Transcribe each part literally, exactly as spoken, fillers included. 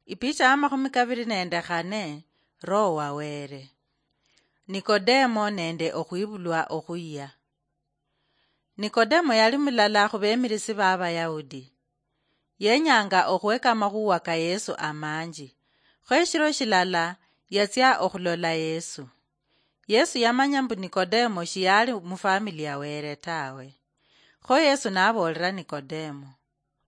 Ipicha ya makhumi kabiri nende khane. Roho wa Were. Nikodemo nende okhwibulwa okhuyia. Nikodemo yali mulala khubemirisi ba Abayahudi. Yenyanga okhweka amakhuwa ka Yesu amanji. Kho eshiro shilala yatsia okhulola Yesu. Yesu yamanya mbu Nikodemo shiyali mufamili ya Were tawe. Kho Yesu naboolera Nikodemo,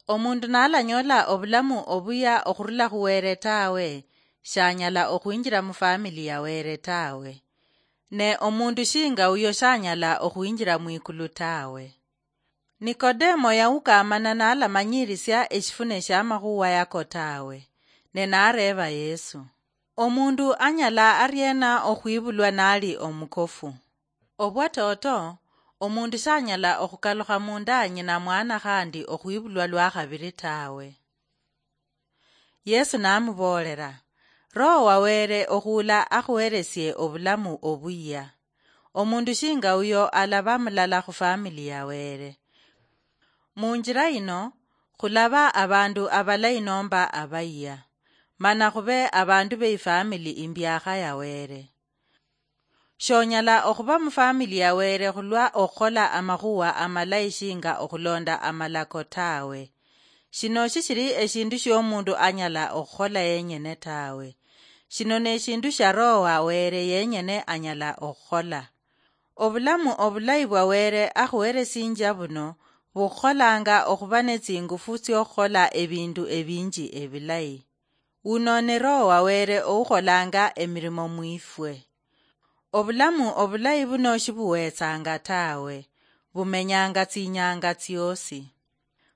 "Omundu nalanyola obulamu obuya okhurula khu Were tawe, shanyala okhwinjira mufamili ya Were tawe. Ne omundu shinga uyo shanyala okhwinjira mwikulu tawe." Nikodemo yaukamana nalamanyirisia eshifune shia makhuwa yako tawe, ne nareeba Yesu, "Omundu anyala ariena okhwibulwa nali omukofu?" Obwatoto, omundu shanyala okhukalukha munda nyina mwana khandi okhwibulwa lwa khabiri tawe. Yesu namuboolera, "Roho wa Were okhuula akhuheresie obulamu obuyia. Omundu shinga uyo alaba mulala khu famili ya Were. Munjira yino, khulaba abandu abalayi nomba abayia, mana khube abandu beifamili imbiakha ya Were. Shonyala okhuba mufamili ya Were khulwa okhukhola amakhuwa amalayi shinga okhulonda amalako tawe. Shino shishili eshindu shiomundu anyala okhukhola yenyene tawe. Shino neshindu shia Roho wa Were yenyene anyala okhukhola." Obulamu obulayi bwa Were akhuheresinjia buno bukhukholanga okhuba netsingufu tsiokhukhola ebindu ebinji ebilayi. Uno ni Roho wa Were oukholanga emirimo mwifwe. Obulamu obulayi buno shibuwetsanga tawe, bumenyanga tsinyanga tsiosi.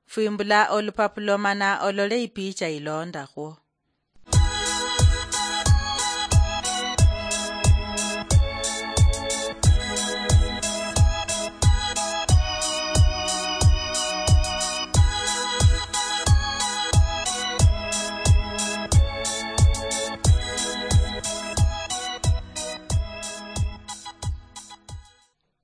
Fwimbula olupapulo mana olole ipicha ilondakhwo.